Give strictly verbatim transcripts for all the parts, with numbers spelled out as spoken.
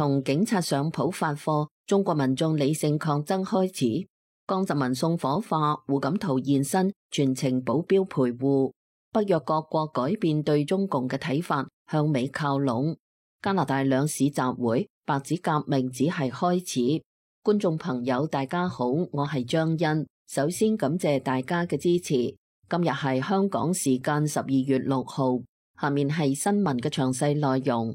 同警察上普發貨，中國民眾理性抗爭開始。江澤民送火化，胡錦濤現身，全程保鏢陪護。北約各國改變對中共嘅睇法，向美靠攏。加拿大兩市集會，白紙革命只係開始。觀眾朋友大家好，我係張欣，首先感謝大家嘅支持。今日係香港時間十二月六號，下面係新聞嘅詳細內容。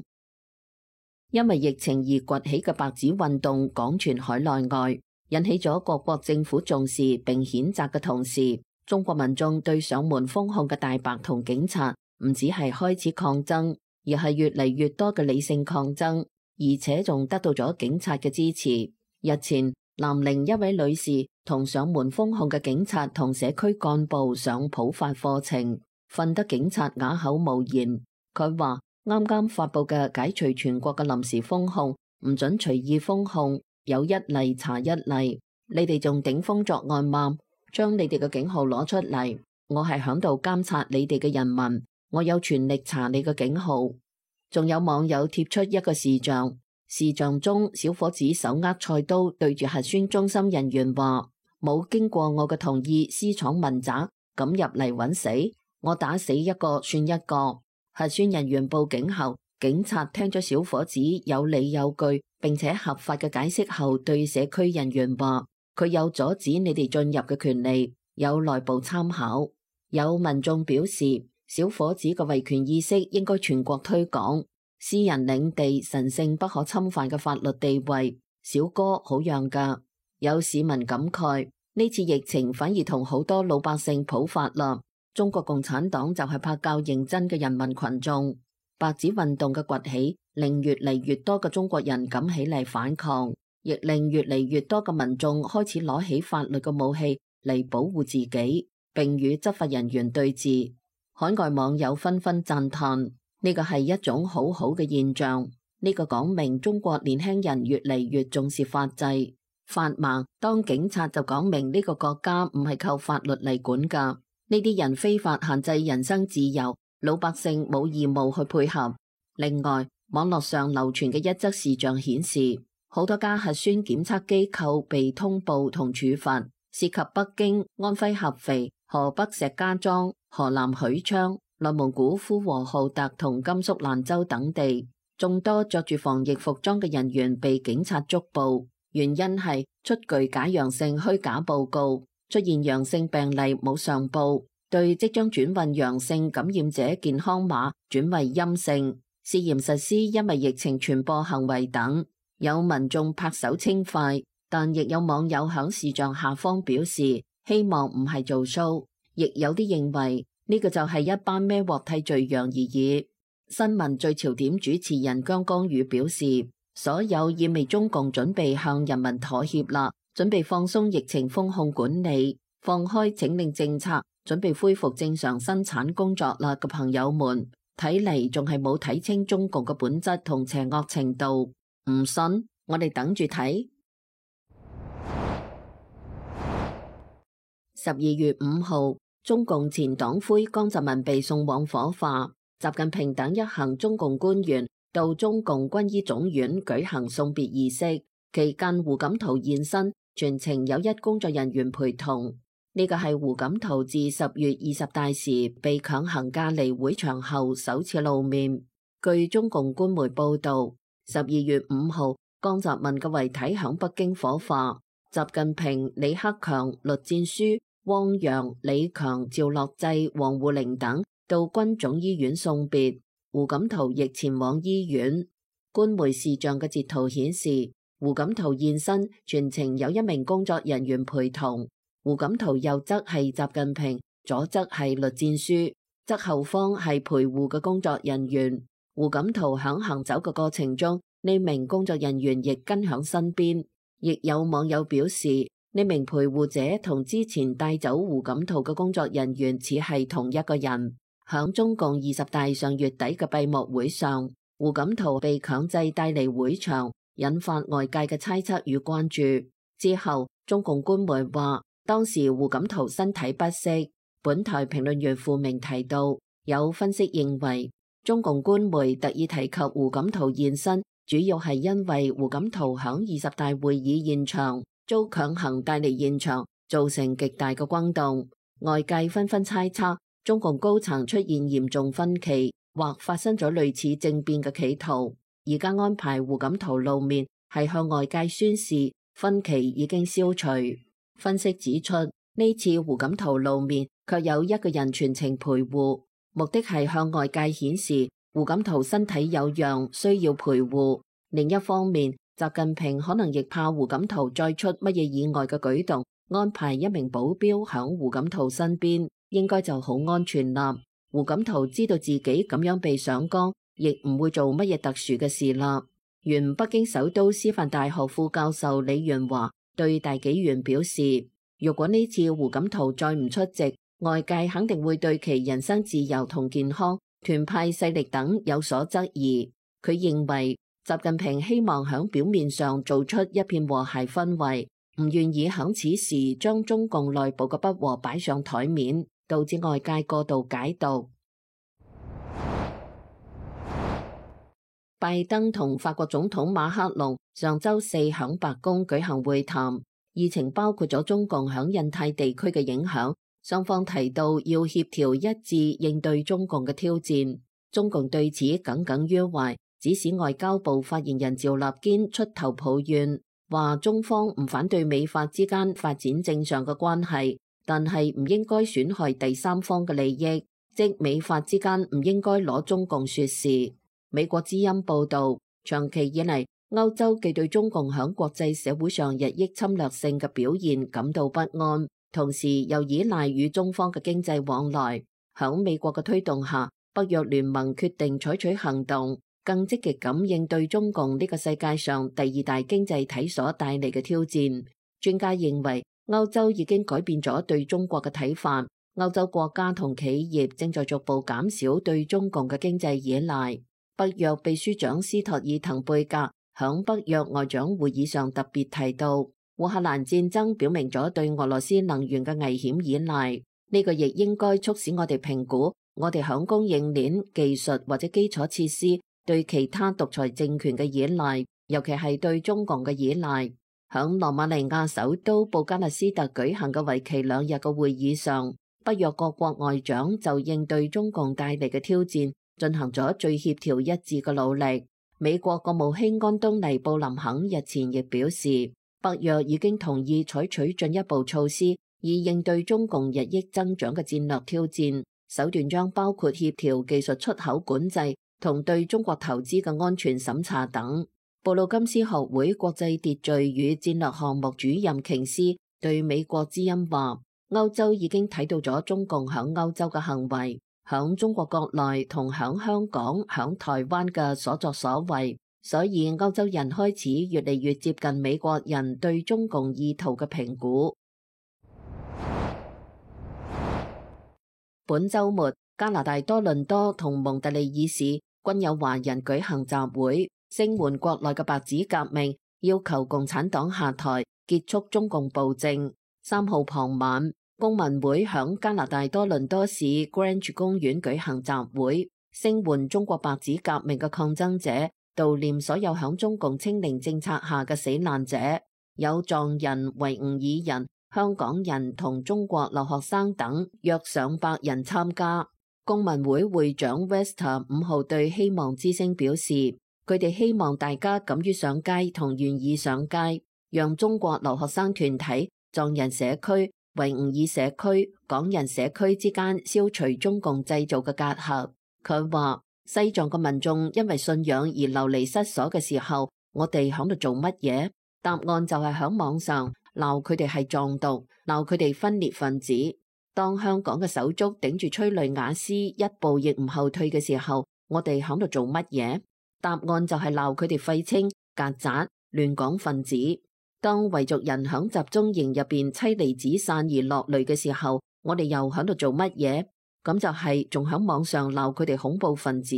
因為疫情而崛起嘅白紙運動廣傳海內外，引起咗各國政府重視並譴責嘅同時，中國民眾對上門封控嘅大白同警察唔只係開始抗爭，而係越嚟越多嘅理性抗爭，而且仲得到咗警察嘅支持。日前，南寧一位女士同上門封控嘅警察同社區幹部上普法課程，訓得警察啞口無言。佢話啱啱發佈嘅解除全國嘅臨時封控，唔准隨意封控，有一例查一例。你哋仲頂風作案嗎？將你哋嘅警號攞出嚟，我係響度監察你哋嘅人民，我有權力查你嘅警號。仲有網友貼出一個視像，視像中小伙子手握菜刀對住核酸中心人員話：冇經過我嘅同意私闖民宅，咁入嚟揾死，我打死一個算一個。核酸人員報警後，警察聽咗小伙子有理有據並且合法嘅解釋後，對社區人員話：佢有阻止你哋進入嘅權利，有內部參考。有民眾表示，小伙子嘅維權意識應該全國推廣，私人領地神聖不可侵犯嘅法律地位，小哥好讓㗎。有市民感慨，呢次疫情反而同好多老百姓普法啦。中國共產黨就係怕較認真嘅人民群眾。白紙運動嘅崛起，令越嚟越多嘅中國人敢起嚟反抗，亦令越嚟越多嘅民眾開始攞起法律嘅武器嚟保護自己，並與執法人員對峙。海外網友紛紛讚嘆，呢個係一種好好嘅現象。呢個講明中國年輕人越嚟越重視法制。法盲當警察就講明呢個國家唔係靠法律嚟管㗎。呢啲人非法限制人身自由，老百姓冇義務去配合。另外，網絡上流傳嘅一則視像顯示，好多家核酸檢測機構被通報同處罰，涉及北京、安徽合肥、河北石家莊、河南許昌、內蒙古呼和浩特同甘肅蘭州等地。眾多着住防疫服裝嘅人員被警察捉捕，原因係出具假陽性虛假報告，出現陽性病例冇上報，對即將轉運陽性感染者健康碼轉為陰性，涉嫌實施因為疫情傳播行為等。有民眾拍手稱快，但亦有網友響視像下方表示希望唔係做 show， 亦有啲認為呢個就係一班孭鑊替罪羊而已。新聞最潮點主持人姜光宇表示，所有意味中共準備向人民妥協啦，準備放鬆疫情封控管理，放開請令政策，準備恢復正常生產工作啦嘅朋友們，睇嚟仲係冇睇清中共嘅本質同邪惡程度。唔信，我哋等住睇。十二月五號，中共前黨魁江澤民被送往火化，習近平等一行中共官員到中共軍醫總院舉行送別儀式，期間胡錦濤現身，全程有一工作人員陪同。呢個係胡錦濤自十月二十大時被強行隔離會場後首次露面。據中共官媒報道，十二月五號，江澤民嘅遺體響北京火化，習近平、李克強、栗戰書、汪洋、李強、趙樂際、王滬寧等到軍總醫院送別，胡錦濤亦前往醫院。官媒視像嘅截圖顯示，胡錦濤現身，全程有一名工作人員陪同。胡錦濤右側係習近平，左側係栗戰書，側後方係陪護嘅工作人員。胡錦濤響行走嘅過程中，呢名工作人員亦跟響身邊。亦有網友表示，呢名陪護者同之前帶走胡錦濤嘅工作人員似係同一個人。響中共二十大上月底嘅閉幕會上，胡錦濤被強制帶離會場，引發外界嘅猜測與關注。之後，中共官媒話，當時胡錦濤身體不適。本台評論員付明提到，有分析認為，中共官媒特意提及胡錦濤現身，主要係因為胡錦濤響二十大會議現場遭強行帶離現場，造成極大嘅轟動。外界紛紛猜測中共高層出現嚴重分歧，或發生咗類似政變嘅企圖。而家安排胡錦濤露面，係向外界宣示分歧已經消除。分析指出，呢次胡錦濤露面，卻有一個人全程陪護，目的係向外界顯示胡錦濤身體有恙，需要陪護。另一方面，習近平可能亦怕胡錦濤再出乜嘢意外嘅舉動，安排一名保鏢響胡錦濤身邊，應該就好安全啦。胡錦濤知道自己咁樣被上綱，亦唔會做乜嘢特殊嘅事啦。原北京首都師範大學副教授李元華對大紀元表示，如果呢次胡錦濤再唔出席，外界肯定會對其人身自由同健康、團派勢力等有所質疑。佢認為習近平希望響表面上做出一片和諧氛圍，唔願意響此時將中共內部嘅不和擺上台面，導致外界過度解讀。拜登同法國總統馬克龍上周四響白宮舉行會談，議程包括咗中共響印太地區嘅影響。雙方提到要協調一致應對中共嘅挑戰，中共對此耿耿於懷，指使外交部發言人趙立堅出頭抱怨，話中方唔反對美法之間發展正常嘅關係，但係唔應該損害第三方嘅利益，即美法之間唔應該攞中共說事。美國之音報道，長期以嚟，歐洲既對中共響國際社會上日益侵略性嘅表現感到不安，同時又依賴與中方嘅經濟往來。響美國嘅推動下，北約聯盟決定採取行動，更積極咁應對中共呢個世界上第二大經濟體所帶嚟嘅挑戰。專家認為，歐洲已經改變咗對中國嘅睇法，歐洲國家同企業正在逐步減少對中共嘅經濟依賴。北約秘書長斯托爾滕貝格響北約外長會議上特別提到，烏克蘭戰爭表明咗對俄羅斯能源嘅危險依賴，呢個亦應該促使我哋評估我哋響供應鏈、技術或者基礎設施對其他獨裁政權嘅依賴，尤其係對中共嘅依賴。響羅馬尼亞首都布加勒斯特舉行嘅為期兩日嘅會議上，北約各國外長就應對中共帶嚟嘅挑戰進行咗最協調一致嘅努力。美國國務卿安東尼布林肯日前亦表示，北約已經同意採取進一步措施，以應對中共日益增長嘅戰略挑戰，手段將包括協調技術出口管制同對中國投資嘅安全審查等。布魯金斯學會國際秩序與戰略項目主任瓊斯對美國之音話，歐洲已經睇到咗中共響歐洲嘅行為，響中國國內同響香港、響台灣嘅所作所為，所以歐洲人開始越嚟越接近美國人對中共意圖嘅評估。本週末，加拿大多倫多同蒙特利爾市均有華人舉行集會，聲援國內嘅白紙革命，要求共產黨下台，結束中共暴政。三號傍晚，公民會響加拿大多倫多市 Grange 公園舉行集會，聲援中國白紙革命嘅抗爭者，悼念所有響中共清零政策下嘅死難者，有藏人、維吾爾人、香港人同中國留學生等約上百人參加。公民會會長 Wester 五號對希望之聲表示，佢哋希望大家敢於上街同願意上街，讓中國留學生團體、藏人社區、維吾爾社區、港人社區之間消除中共製造嘅隔閡。佢話西藏嘅民眾因為信仰而流離失所嘅時候，我哋喺度做乜嘢？答案就係喺網上鬧佢哋係藏獨，鬧佢哋分裂分子。當香港嘅手足頂住催淚瓦斯一步亦唔後退嘅時候，我哋喺度做乜嘢？答案就係鬧佢哋廢青、曱甴、亂港分子。當維族人響集中營入邊妻離子散而落淚嘅時候，我哋又喺度做乜嘢？咁就係仲喺網上鬧佢哋恐怖分子。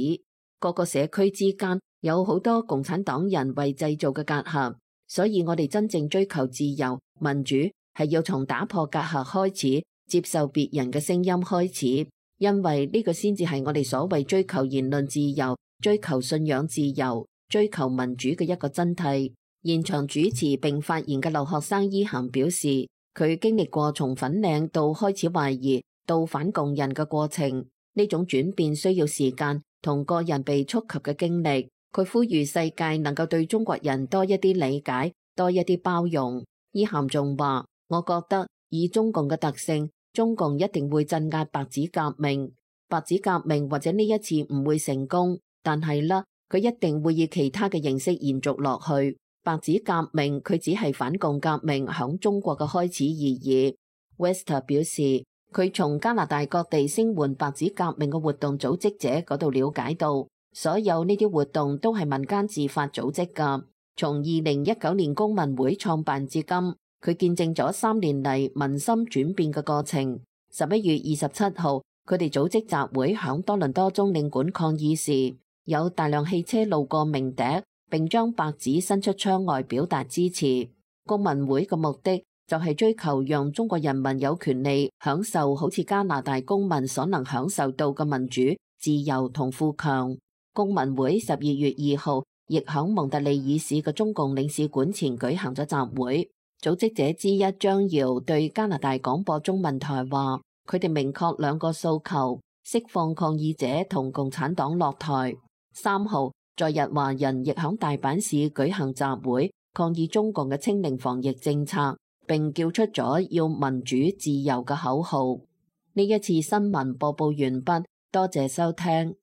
各個社區之間有好多共產黨人為製造嘅隔閡，所以我哋真正追求自由民主係要從打破隔閡開始，接受別人嘅聲音開始，因為呢個先至係我哋所謂追求言論自由、追求信仰自由、追求民主嘅一個真諦。現場主持並發言嘅留學生伊涵表示，佢經歷過從粉嶺到開始懷疑到反共人嘅過程，呢種轉變需要時間同個人被觸及嘅經歷。佢呼籲世界能夠對中國人多一啲理解，多一啲包容。伊涵仲話：我覺得以中共嘅特性，中共一定會鎮壓白紙革命。白紙革命或者呢一次唔會成功，但係啦，佢一定會以其他嘅形式延續落去。白紙革命佢只係反共革命響中國嘅開始而已。Wester 表示，佢從加拿大各地聲援白紙革命嘅活動組織者嗰度了解到，所有呢啲活動都係民間自發組織㗎。從二零一九年公民會創辦至今，佢見證咗三年嚟民心轉變嘅過程。十一月二十七號，佢哋組織集會響多倫多中領館抗議時，有大量汽車路過鳴笛，並將白紙伸出窗外表達支持。公民會嘅目的就係追求讓中國人民有權利享受好似加拿大公民所能享受到嘅民主、自由同富強。公民會十二月二號亦響蒙特利爾市嘅中共領事館前舉行咗集會。組織者之一張瑤對加拿大廣播中文台話：佢哋明確兩個訴求，釋放抗議者同共產黨落台。三號，在日華人亦響大阪市舉行集會，抗議中共嘅清零防疫政策，並叫出咗要民主自由嘅口號。呢一次新聞播報完畢，多謝收聽。